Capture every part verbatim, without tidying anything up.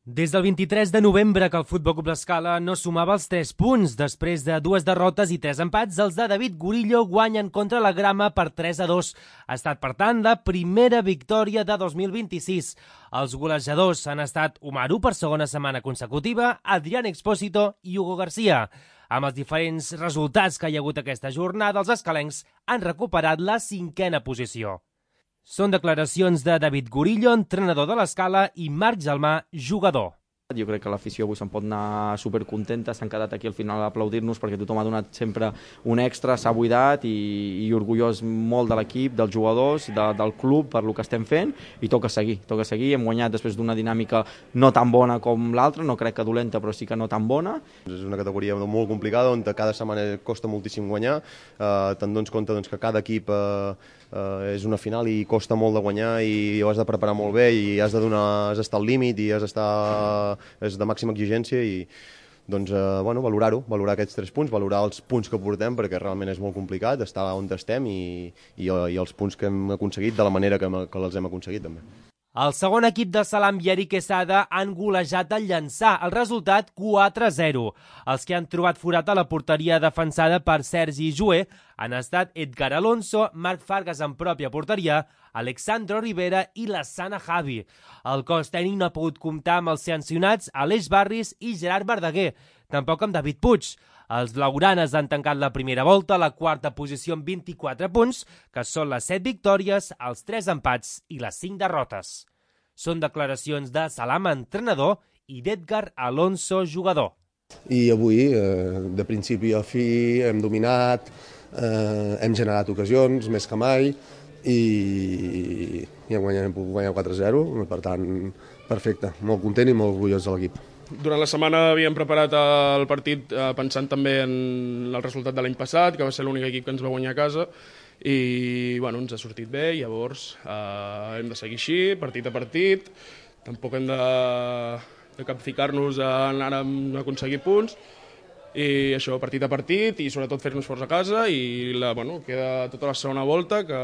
Des del vint-i-tres de novembre que el Futbol Club L'Escala no sumava els tres punts. Després de dues derrotes i tres empats, els de David Gurillo guanyen contra la Grama per tres a dos. Ha estat, per tant, la primera victòria de dos mil vint-i-sis. Els golejadors han estat Umaru per segona setmana consecutiva, Adrián Expósito i Hugo García. Amb els diferents resultats que hi ha hagut aquesta jornada, els escalencs han recuperat la cinquena posició. Són declaracions de David Gurillo, entrenador de l'Escala, i Marc Gelmà, jugador. Jo crec que l'afició avui se'n pot anar supercontenta, s'han quedat aquí al final a aplaudir-nos perquè tothom ha donat sempre un extra, s'ha buidat i, i orgullós molt de l'equip, dels jugadors, de, del club per lo que estem fent i toca seguir, toca seguir. Hem guanyat després d'una dinàmica no tan bona com l'altra, no crec que dolenta però sí que no tan bona. És una categoria molt complicada on cada setmana costa moltíssim guanyar, eh, te'n dones compte doncs, que cada equip eh, eh, és una final i costa molt de guanyar i ho has de preparar molt bé i has de donar, has d'estar al límit i has d'estar és de màxima exigència i doncs, eh, bueno, valorar-ho, valorar aquests tres punts, valorar els punts que portem perquè realment és molt complicat estar on estem i, i, i els punts que hem aconseguit de la manera que, que els hem aconseguit també. El segon equip de Salam i Eric Quesada han golejat el Llançà, el resultat quatre a zero. Els que han trobat forat a la porteria defensada per Sergi Joué han estat Edgar Alonso, Marc Fargas en pròpia porteria, Alexandro Rivera i Lassana Javi. El cos tècnic no ha pogut comptar amb els sancionats Aleix Barris i Gerard Verdaguer, tampoc amb David Puig. Els blaugranes han tancat la primera volta a la quarta posició amb vint-i-quatre punts, que són les set victòries, els tres empats i les cinc derrotes. Són declaracions de Salam, entrenador, i d'Edgar Alonso, jugador. I avui, eh, de principi a fi, hem dominat, eh, hem generat ocasions, més que mai, i, i hem guanyat, hem pogut guanyar quatre a zero, per tant, perfecte, molt content i molt orgullós de l'equip. Durant la setmana havíem preparat el partit eh, pensant també en el resultat de l'any passat, que va ser l'únic equip que ens va guanyar a casa, i bueno, ens ha sortit bé, llavors eh, hem de seguir així, partit a partit, tampoc hem de, de capficar-nos a anar a aconseguir punts, i això, partit a partit, i sobretot fer-nos forts a casa, i la, bueno, queda tota la segona volta, que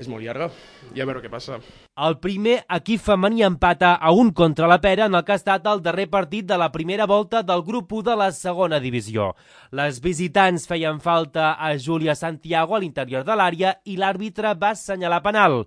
és molt llarga, i a veure què passa. El primer equip femení empata a un contra la Pera en el que ha estat el darrer partit de la primera volta del grup u de la segona divisió. Les visitants feien falta a Júlia Santiago a l'interior de l'àrea i l'àrbitre va assenyalar penal.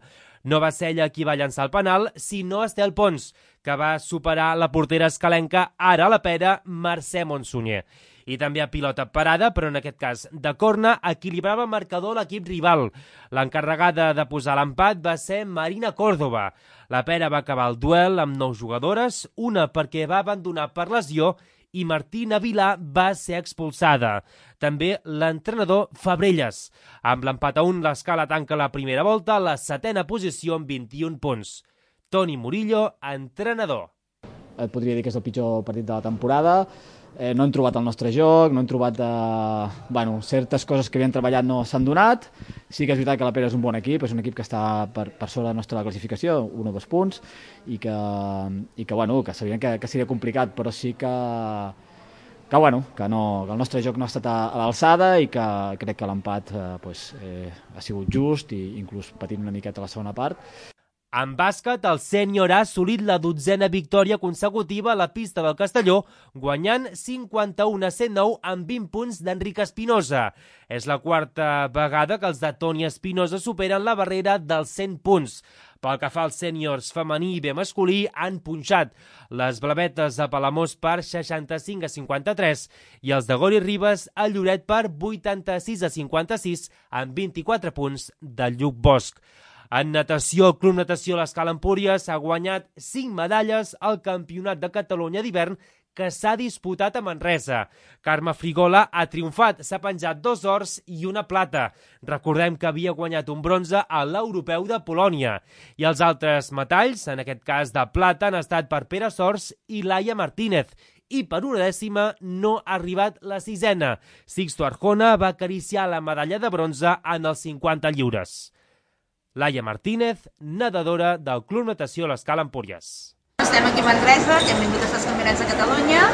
No va ser ella qui va llançar el penal, sinó Estel Pons, que va superar la portera escalenca, ara a la Pera, Mercè Monsunyer. I també a pilota parada, però en aquest cas de corna, equilibrava el marcador l'equip rival. L'encarregada de posar l'empat va ser Marina Córdoba. La Pera va acabar el duel amb nou jugadores, una perquè va abandonar per lesió i Martina Vilà va ser expulsada. També l'entrenador Fabrelles. Amb l'empat a un, l'Escala tanca la primera volta a la setena posició amb vint-i-un punts. Toni Murillo, entrenador. Et podria dir que és el pitjor partit de la temporada. Eh, no hem trobat el nostre joc, no hem trobat... Eh, bueno, certes coses que havíem treballat no s'han donat. Sí que és veritat que la Pera és un bon equip, és un equip que està per, per sobre de la nostra classificació, un o dos punts, i que, i que, bueno, que sabíem que, que seria complicat, però sí que, que, bueno, que, no, que el nostre joc no ha estat a, a l'alçada i que crec que l'empat eh, pues, eh, ha sigut just i inclús patint una miqueta a la segona part. En bàsquet, el sènior ha assolit la dotzena victòria consecutiva a la pista del Castelló, guanyant cinquanta-u a cent nou amb vint punts d'Enric Espinosa. És la quarta vegada que els de Toni Espinosa superen la barrera dels cent punts. Pel que fa als sèniors femení i bé masculí, han punxat les blavetes a Palamós per seixanta-cinc a cinquanta-tres i els de Gori Ribes a Lloret per vuitanta-sis a cinquanta-sis amb vint-i-quatre punts del Lluc Bosch. En natació, el Club Natació L'Escala Empúries ha guanyat cinc medalles al Campionat de Catalunya d'hivern que s'ha disputat a Manresa. Carme Frigola ha triomfat, s'ha penjat dos ors i una plata. Recordem que havia guanyat un bronze a l'Europeu de Polònia. I els altres metalls, en aquest cas de plata, han estat per Pere Sors i Laia Martínez. I per una dècima no ha arribat la sisena. Sixto Arjona va acariciar la medalla de bronze en els cinquanta lliures. Laia Martínez, nedadora del Club Natació L'Escala Empúries. Estem aquí a Manresa, que hem vingut a fer els campionats de Catalunya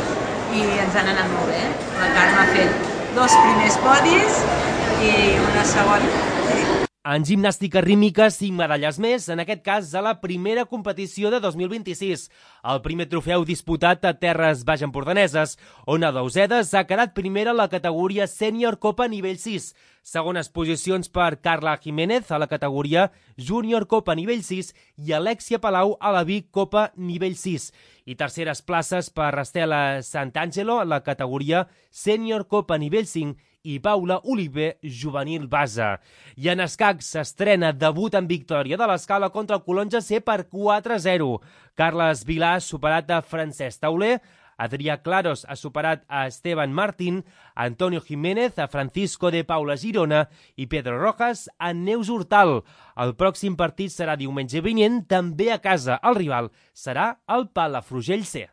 i ens han anat molt bé. La Carme ha fet dos primers podis i una segona. En gimnàstica rítmica, cinc medalles més, en aquest cas a la primera competició de dos mil vint-i-sis. El primer trofeu disputat a terres baix-empordaneses, on Ada Usedes ha quedat primera a la categoria Sènior Copa nivell sis. Segones posicions per Carla Jiménez a la categoria Júnior Copa nivell sis i Alexia Palau a la Vic Copa nivell sis. I terceres places per Estela Sant'Angelo a la categoria Sènior Copa nivell cinc i Paula Oliver, juvenil base. I en escacs s'estrena debut en victòria de l'Escala contra el Colón G C per quatre a zero. Carles Vilà ha superat a Francesc Tauler, Adrià Claros ha superat a Esteban Martín, Antonio Jiménez a Francisco de Paula Girona i Pedro Rojas a Neus Hortal. El pròxim partit serà diumenge vinent, també a casa. El rival serà el Palafrugell C.